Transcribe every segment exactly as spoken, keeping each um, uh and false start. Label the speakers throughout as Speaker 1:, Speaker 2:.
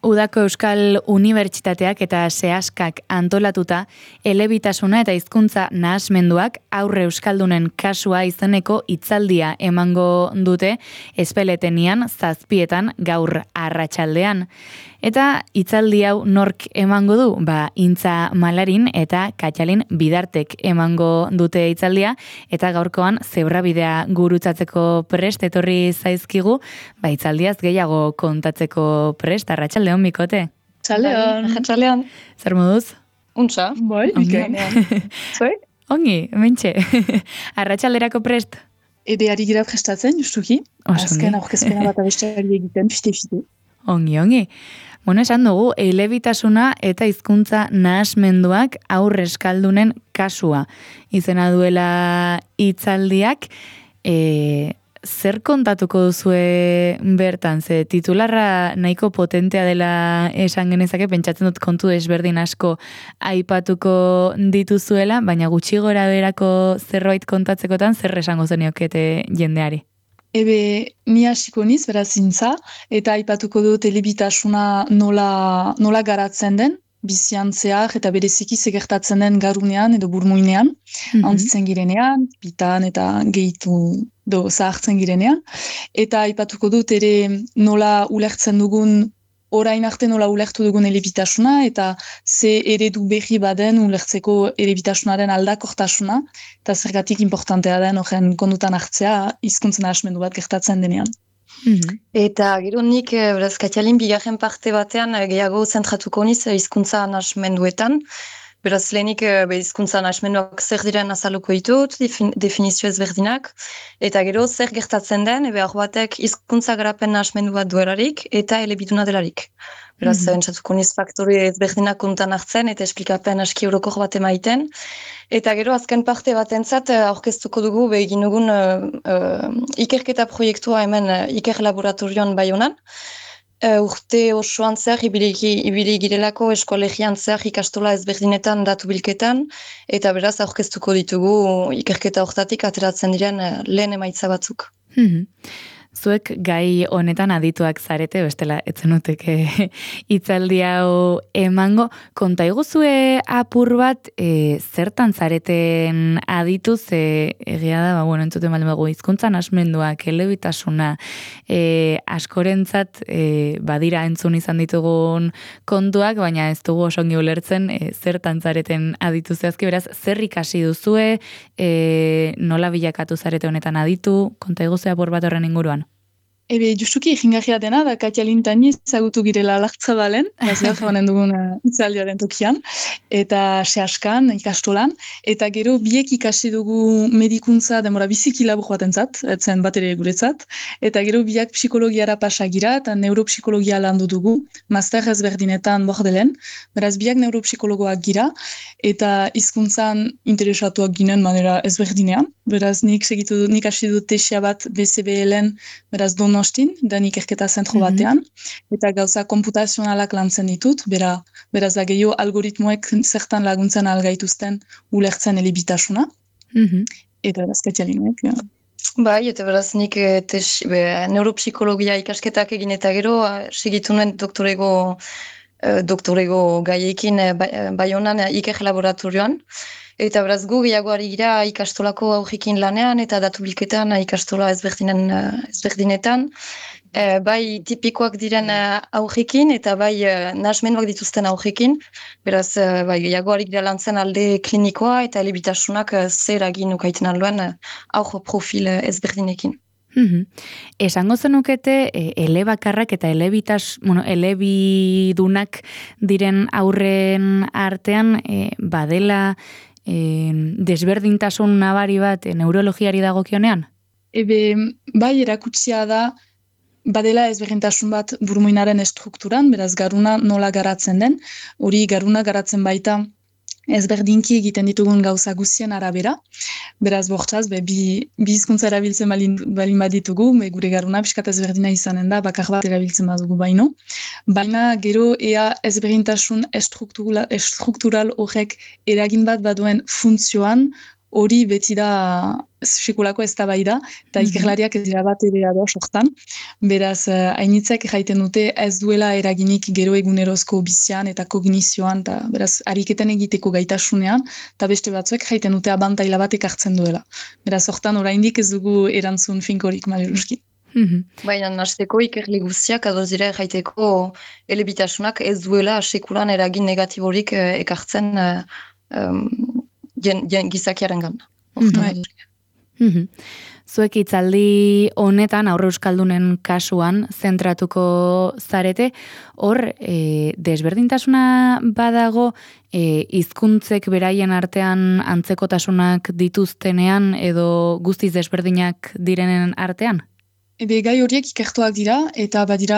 Speaker 1: Udako Euskal Unibertsitateak eta sehaskak antolatuta elebitasuna eta hizkuntza nahasmenduak aurre euskaldunen kasua izeneko hitzaldia emango dute Ezpeletenian zazpietan gaur arratsaldean. Eta hitzaldi hau nork emango du? Ba, Intza Malarin eta Katxalin Bidartek emango dute hitzaldia eta gaurkoan zebrabidea gurutzatzeko prest etorri zaizkigu, ba hitzaldiaz gehiago kontatzeko prest. Arratsaldeon, Bikote.
Speaker 2: Arratsaldeon. Arratsaldeon.
Speaker 1: Zer moduz?
Speaker 2: Untza.
Speaker 3: Bai, bikainean.
Speaker 2: Zoi?
Speaker 1: Ongi, mentxe. Arratsalderako prest?
Speaker 3: Ebe ari gira prestatzen, justuki. Azken aurkezpena bat abesteari egiten, fite-fite.
Speaker 1: Ongi, ongi. Bueno, esan dugu, elebitasuna eta hizkuntza nahasmenduak aurre eskaldunen kasua. Izena duela hitzaldiak, e, zer kontatuko duzue bertan? Ze titularra nahiko potentea dela esan genezake, pentsatzen dut kontu desberdin asko aipatuko dituzuela, baina gutxi gora berako zerbait kontatzekotan zer esango zeniokete jendeari?
Speaker 3: Ebe, ni hasiko niz, beraz Intza, eta aipatuko dut elebitasuna nola, nola garatzen den, bizian zehar eta bereziki segertatzen den garunean edo burmuinean, mm-hmm. Antzitzen girenean, bitan eta gehitu do zahartzen girenean, eta aipatuko dut ere nola ulertzen dugun, orain arte nola ulertu dugun elebitasuna, eta ze eredu berri baden ulertzeko elebitasunaren aldakortasuna, eta zergatik importantea den horren kondutan hartzea hizkuntzen nahasmendu bat gertatzen denean.
Speaker 2: Mm-hmm. Eta gero nik, beraz, Katxalin bigarren parte batean gehiago zentratuko niz hizkuntza nahasmenduetan. Beraz, lehenik hizkuntza nahasmenduak zer diren azaluko ditut, definizio ezberdinak, eta gero zer gertatzen den, ebe hor batek hizkuntza garapen nahasmendu bat duelarik eta elebiduna delarik. Beraz, mm-hmm. entzatuko niz faktori ezberdinak kontan hartzen eta esplikapen aski orokor bat emaiten. Eta gero azken parte batentzat aurkeztuko dugu begin dugun uh, uh, ikerketa proiektua hemen uh, iker laboratorioan Baionan. Uh, urte osoan zer, ibili girelako eskolegian zer ikastola ezberdinetan datu bilketan, eta beraz aurkeztuko ditugu ikerketa hortatik ateratzen diren uh, lehen emaitza batzuk.
Speaker 1: Mm-hmm. Zuek gai honetan adituak zarete, bestela etzenuteke hitzaldi hau emango. Konta iguzue apur bat, e, zertan zareten aditu, ze egia da, ba, bueno, entzuten baldin bago, hizkuntza nahasmenduak, elebitasuna, e, askorentzat e, badira entzun izan ditugun kontuak, baina ez dugu osongi ulertzen e, zertan zareten aditu zehazki, beraz, zer ikasi duzue, e, nola bilakatu zarete honetan aditu, konta iguzue apur bat horren inguruan?
Speaker 3: Ebe, justuki egingarria dena, da Katxalin tani ezagutu girela Lartzabalen, gazeak jabanen dugun hitzaldiaren tokian, eta sehaskan, ikastolan, eta gero biek ikasi dugu medikuntza demora biziki labur batentzat, etzen bat ere guretzat, eta gero biak psikologiara pasagira, eta neuropsikologia landu dugu, master ezberdinetan bordelen, beraz biak neuropsikologoak gira, eta hizkuntzan interesatuak ginen manera ezberdinean, beraz nik segitu nik hasi dut tesia bat B C B L-en, beraz Donostin, da ikerketa zentro batean, mm-hmm. eta gauza komputazionalak lantzen ditut, bera, beraz da gehiago algoritmoek zertan laguntzen algaituzten ulertzen elebitasuna, mm-hmm. eta beraz Katxalinek. Ja.
Speaker 2: Bai, eta beraz nik tes, be, neuropsikologia ikasketak egin eta gero, segitu nuen doktorego, doktorego gaiekin Baionan iker laboratorioan, eta beraz gu gehiago ari gira ikastolako aurrikin lanean eta datu bilketan ikastola ezberdinen, ezberdinetan. E, bai tipikoak diren aurrikin eta bai nahasmenduak dituzten aurrikin. Beraz bai, gehiago ari gira lantzen alde klinikoa eta elebitasunak zer agin ukaiten alduen aur profil ezberdinekin.
Speaker 1: Mm-hmm. Esango zenukete e, elebakarrak eta elebitas, bueno, elebidunak diren aurren artean e, badela E, desberdintasun nabari bat e, neurologiari dagokionean?
Speaker 3: Ebe, bai erakutsia da badela ezberdintasun bat burmuinaren estrukturan, beraz garuna nola garatzen den, hori garuna garatzen baita ezberdinki egiten ditugun gauza guztien arabera, beraz bortzaz, be, bi, bi hizkuntza erabiltzen balin, balin baditugu, be, gure garuna pixkat ezberdina izanen da, bakar bat erabiltzen badugu baino, baina gero ea ezberdintasun estruktural, estruktural horrek eragin bat baduen funtzioan, hori beti da sekulako eztabaida eta
Speaker 1: Mhm.
Speaker 3: ikerlariak ez dira bat ere ados hortan. Beraz, eh, hainitzek jaiten dute ez duela eraginik gero egunerozko bizian eta kognizioan, eta beraz, ariketen egiteko gaitasunean, eta beste batzuek jaiten dute abantaila bat ekartzen duela. Beraz, hortan oraindik ez dugu erantzun finkorik, maleruski.
Speaker 1: Mhm.
Speaker 2: Baina nasteko ikerli guztiak adoz dira erraiteko elebitasunak ez duela sekulan eragin negatiborik eh, ekartzen eh, um, jen, jen gizakiarengan.
Speaker 1: Mhm. Mhm. Zuek hitzaldi honetan, aurre euskaldunen kasuan, zentratuko zarete, hor, e, desberdintasuna badago, e, hizkuntzek beraien artean antzekotasunak dituztenean edo guztiz desberdinak direnen artean?
Speaker 3: Ebe gai horiek ikertuak dira, eta badira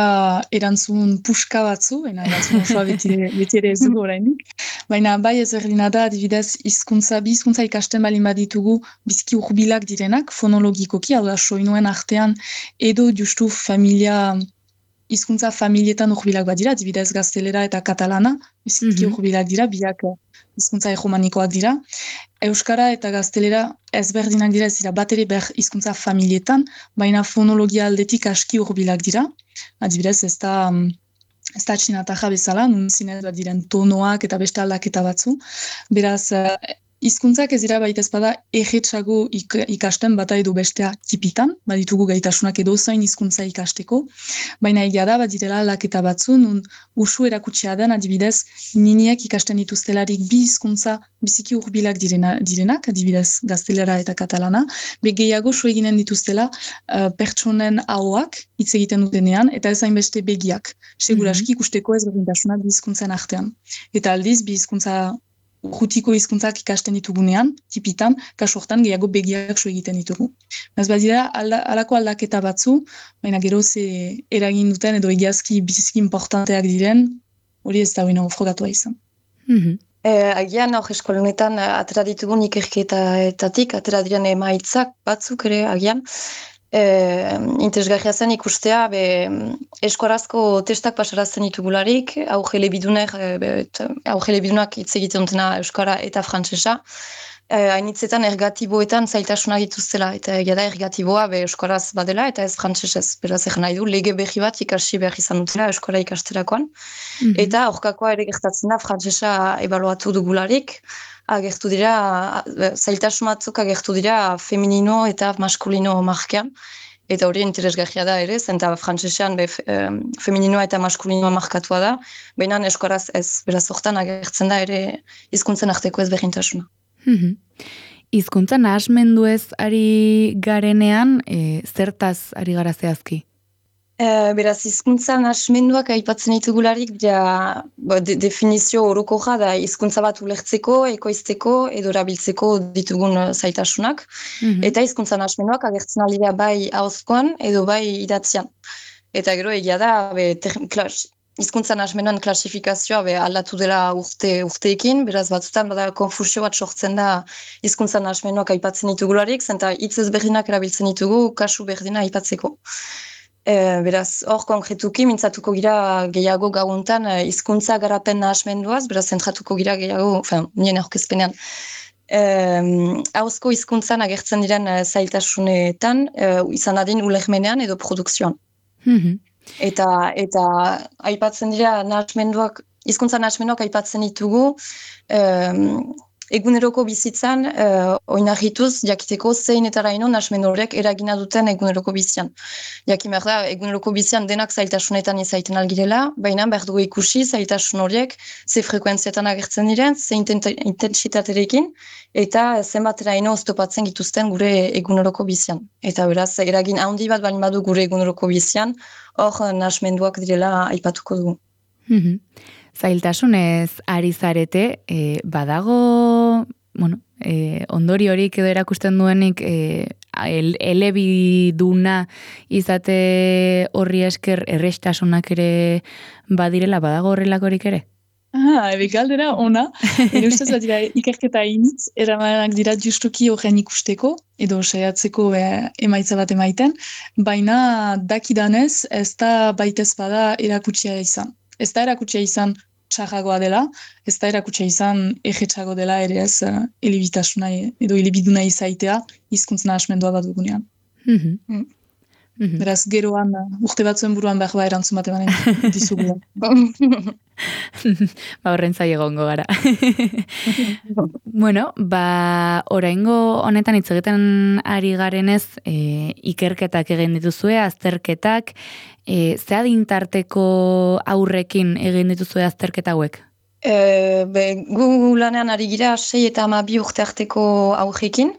Speaker 3: erantzun puska batzu, baina erantzun osoa beti, beti ere ez dugu oraindik. Baina bai ezberdina da, adibidez, hizkuntza bi hizkuntza ikasten balin baditugu bizki hurbilak direnak, fonologikoki, hau da soinuen artean, edo justu familia, hizkuntza familietan hurbilak badira, adibidez gaztelera eta katalana, bizki
Speaker 1: Mhm.
Speaker 3: hurbilak dira, biak hizkuntza hegemonikoak dira. Euskara eta gaztelera ezberdinak dira, ez dira bat ere ber hizkuntza familietan, baina fonologia aldetik aski hurbilak dira. Adibidez, ez da, mm, ez da txinatarra bezala, nun zinez bat diren tonoak eta beste aldaketa batzu. Beraz, eh, hizkuntzak ez dira baita ezpada erretxago ik, ikasten bata edo bestea tipitan, baditugu gaitasunak edo zain hizkuntza ikasteko, baina egia da, badirela aldaketa batzu, nun usu erakutsia den, adibidez, niniek ikasten dituztelarik bi hizkuntza biziki hurbilak direna, direnak, adibidez gaztelera eta katalana, be gehiago su eginen dituztela uh, pertsonen ahoak hitz egiten dutenean, eta ez hainbeste begiak. Seguraski ikusteko ezberdintasunak bi hizkuntzen artean. Eta aldiz, bi hizkuntza urrutiko hizkuntzak ikasten ditugunean, tipitan, kasu hortan gehiago begiak su egiten ditugu. Ez badira, alda, alako aldaketa batzu, baina gero ze eragin duten edo egiazki biziki importanteak diren, hori ez da huina frogatua izan.
Speaker 1: Mhm.
Speaker 2: Eh, agian hor eskolonetan eh, atera ditugun ikerketaetatik, atera diren emaitzak batzuk ere agian, eh, interesgarria zen ikustea, be, eskorazko testak pasarazten ditugularik, augelebidunek, eh, augelebidunak hitz egiten dutena euskara eta frantsesa, eh, hainitzetan ergatiboetan zailtasunak dituztela, eta egia da ergatiboa be euskaraz badela eta ez frantsesez. Beraz egin nahi du, lege berri bat ikasi behar izan dutela euskara ikasterakoan.
Speaker 1: Mhm.
Speaker 2: Eta aurkakoa ere gertatzen da, frantsesa ebaluatu dugularik, agertu dira, zailtasun batzuk agertu dira feminino eta maskulino markean. Eta hori interesgarria da ere, zenta frantsesean be, um, femininoa eta maskulinoa markatua da, baina euskaraz ez, beraz hortan agertzen da ere hizkuntzen arteko ezberdintasuna.
Speaker 1: Mhm. Hizkuntza nahasmenduez ari garenean, e, zertaz ari gara zehazki?
Speaker 2: E, beraz, hizkuntza nahasmenduak aipatzen ditugularik, ja, de, definizio orokorra da hizkuntza bat ulertzeko, ekoizteko edo erabiltzeko ditugun zaitasunak.
Speaker 1: Mhm.
Speaker 2: Eta hizkuntza nahasmenduak agertzen aldira bai ahozkoan edo bai idatzian. Eta gero egia da, be, ter, klas, hizkuntza nahasmenduan klasifikazioa be, aldatu dela urte, urteekin, beraz batzutan bada konfusio bat sortzen da hizkuntza nahasmenduak aipatzen ditugularik, zenta hitz ezberdinak erabiltzen ditugu kasu berdina aipatzeko. E, beraz, hor konkretuki mintzatuko gira gehiago gauntan hizkuntza garapen nahasmenduaz, beraz zentratuko gira gehiago, enfin, nien aurkezpenean, hauzko hizkuntzan agertzen diren zailtasunetan, e, izan adin ulermenean edo produkzioan.
Speaker 1: Mhm.
Speaker 2: Eta, eta aipatzen dira nahasmenduak, hizkuntza nahasmenduak aipatzen ditugu, um, eguneroko bizitzan uh, oinarrituz jakiteko zein eta raino nahasmendu horiek eragina duten eguneroko bizian. Jakin behar da, eguneroko bizian denak zailtasunetan izaiten algirela, baina behar dugu ikusi zailtasun horiek ze frekuentzietan agertzen diren, ze intentsitaterekin, eta zenbat eraino oztopatzen gituzten gure eguneroko bizian. Eta beraz, eragin handi bat balin badu gure eguneroko bizian, hor nahasmenduak direla aipatuko dugu.
Speaker 1: Mhm. Zailtasunez ari zarete, e, badago, bueno, e, ondori horik edo erakusten duenik e, el, elebiduna izate horri esker errestasunak ere badirela, badago horrelakorik ere?
Speaker 3: Ah, ebe galdera ona, ere ustez bat dira ikerketa initz, eramanak dira justuki horren ikusteko, edo saiatzeko e, emaitza bat emaiten, baina dakidanez ez da baitez bada erakutsia izan. Ez da erakutsia izan txarragoa dela, ez da erakutsa izan egetxago dela ere ez uh, elebitasuna edo elebiduna izaitea hizkuntza nahasmendua bat dugunean.
Speaker 1: Mhm.
Speaker 3: Mm.
Speaker 1: Mhm.
Speaker 3: Beraz, geroan, uh, urte batzuen buruan behar ba erantzun bat emanen dizugu.
Speaker 1: Ba, horren zai egongo gara. Bueno, ba, oraingo honetan hitz egiten ari garenez, e, ikerketak egin dituzue, azterketak, e, ze adintarteko aurrekin egin dituzue azterketa hauek?
Speaker 2: E, be, gu lanean ari gira sei eta hamabi urte arteko aurrekin.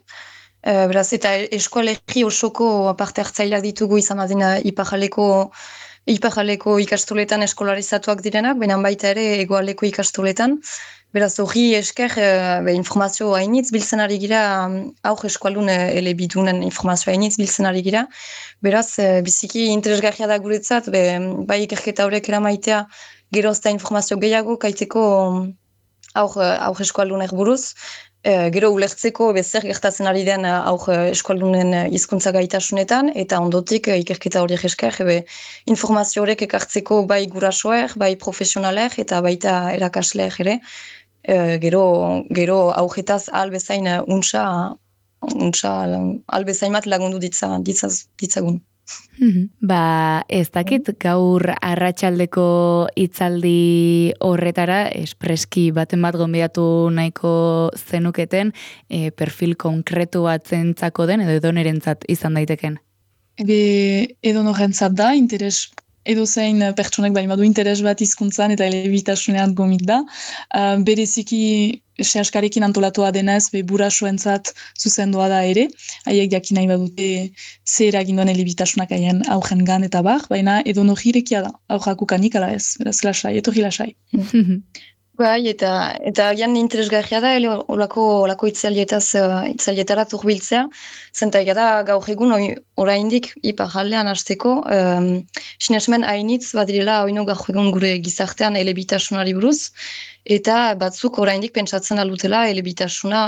Speaker 2: E, beraz, eta eskualegi osoko parte hartzaileak ditugu izan badina iparjaleko iparjaleko ikastoletan eskolarizatuak direnak, baina baita ere hegoaldeko ikastoletan. Beraz, hori esker e, be, informazio hainitz biltzen ari gira, aur eskualdun elebidunen informazio hainitz biltzen ari gira. Beraz, e, biziki interesgarria da guretzat, be, bai ikerketa horrek eramaitea, gero ezta informazio gehiago kaiteko aur, aur eskualdunek buruz, e, gero ulertzeko bezer gertatzen ari den aur eskualdunen hizkuntza gaitasunetan, eta ondotik ikerketa horiek esker, ebe, informazio horrek ekartzeko bai gurasoer, bai profesionaler, eta baita erakasleer ere, e, gero, gero aurretaz albezain untsa, untsa albezain bat lagundu ditza, ditzaz, ditzagun.
Speaker 1: Ba, ez dakit gaur arratsaldeko hitzaldi horretara espreski baten bat gonbidatu nahiko zenuketen, e, perfil konkretu bat zentzako den edo edonerentzat izan daiteken.
Speaker 3: Ebe, edo norentzat da, interes edo zein pertsonek baina du interes bat hizkuntzan eta elebitasunean gomit da. Uh, bereziki sehaskarekin antolatua denez, be burasoentzat zuzendua da ere, haiek jakin nahi badute zer eragin duen elebitasunak haien augen gan eta bar, baina edo nohirekia da, aurrak ukanik ala ez, beraz lasai, etorri lasai.
Speaker 2: Bai, eta eta agian interesgarria da, ele olako, olako itzalietaz, uh, itzalietarat urbiltzea, zenta da gaur egun oraindik iparraldean hasteko, um, sinesmen hainitz badirela oino gaur egun gure gizartean elebitasunari buruz, eta batzuk oraindik pentsatzen aldutela elebitasuna,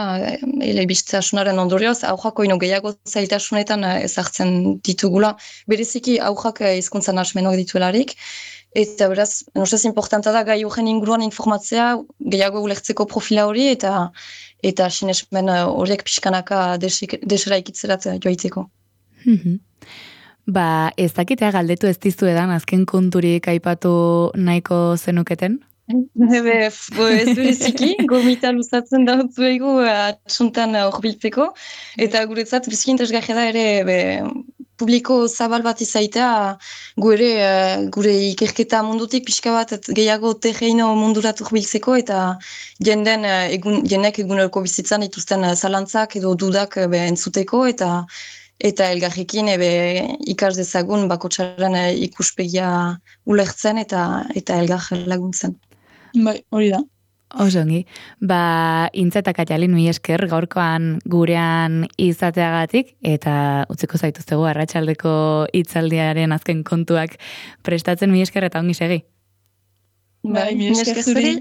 Speaker 2: elebitasunaren ondorioz, aurrak oino gehiago zailtasunetan ezartzen ditugula, bereziki aurrak hizkuntza nahasmenok dituelarik, eta beraz, nostez importanta da gai horren inguruan informatzea, gehiago ulertzeko profila hori, eta eta sinesmen horiek pixkanaka desera ikitzerat joaiteko.
Speaker 1: Ba, ez dakitea galdetu ez dizuedan, azken konturik aipatu nahiko zenuketen?
Speaker 2: Ebe, ez bereziki, gomita luzatzen da zuegu atxuntan horbiltzeko, eta guretzat biziki interesgarria da ere, be, publiko zabal bat izaitea, gure, gure ikerketa mundutik pixka bat gehiago terreino mundurat urbiltzeko, eta jenden, egun, jendek eguneroko bizitzan dituzten zalantzak edo dudak be, entzuteko, eta eta elgarrekin ebe, ikas dezagun bakotxaren ikuspegia ulertzen eta eta elgar laguntzen.
Speaker 3: Bai, hori da.
Speaker 1: Osongi, ba, Intza eta Katalin mi esker gaurkoan gurean izateagatik, eta utziko zaituztegu arratsaldeko hitzaldiaren azken kontuak prestatzen mi esker eta ongi segi.
Speaker 3: Bai, mi esker zuri.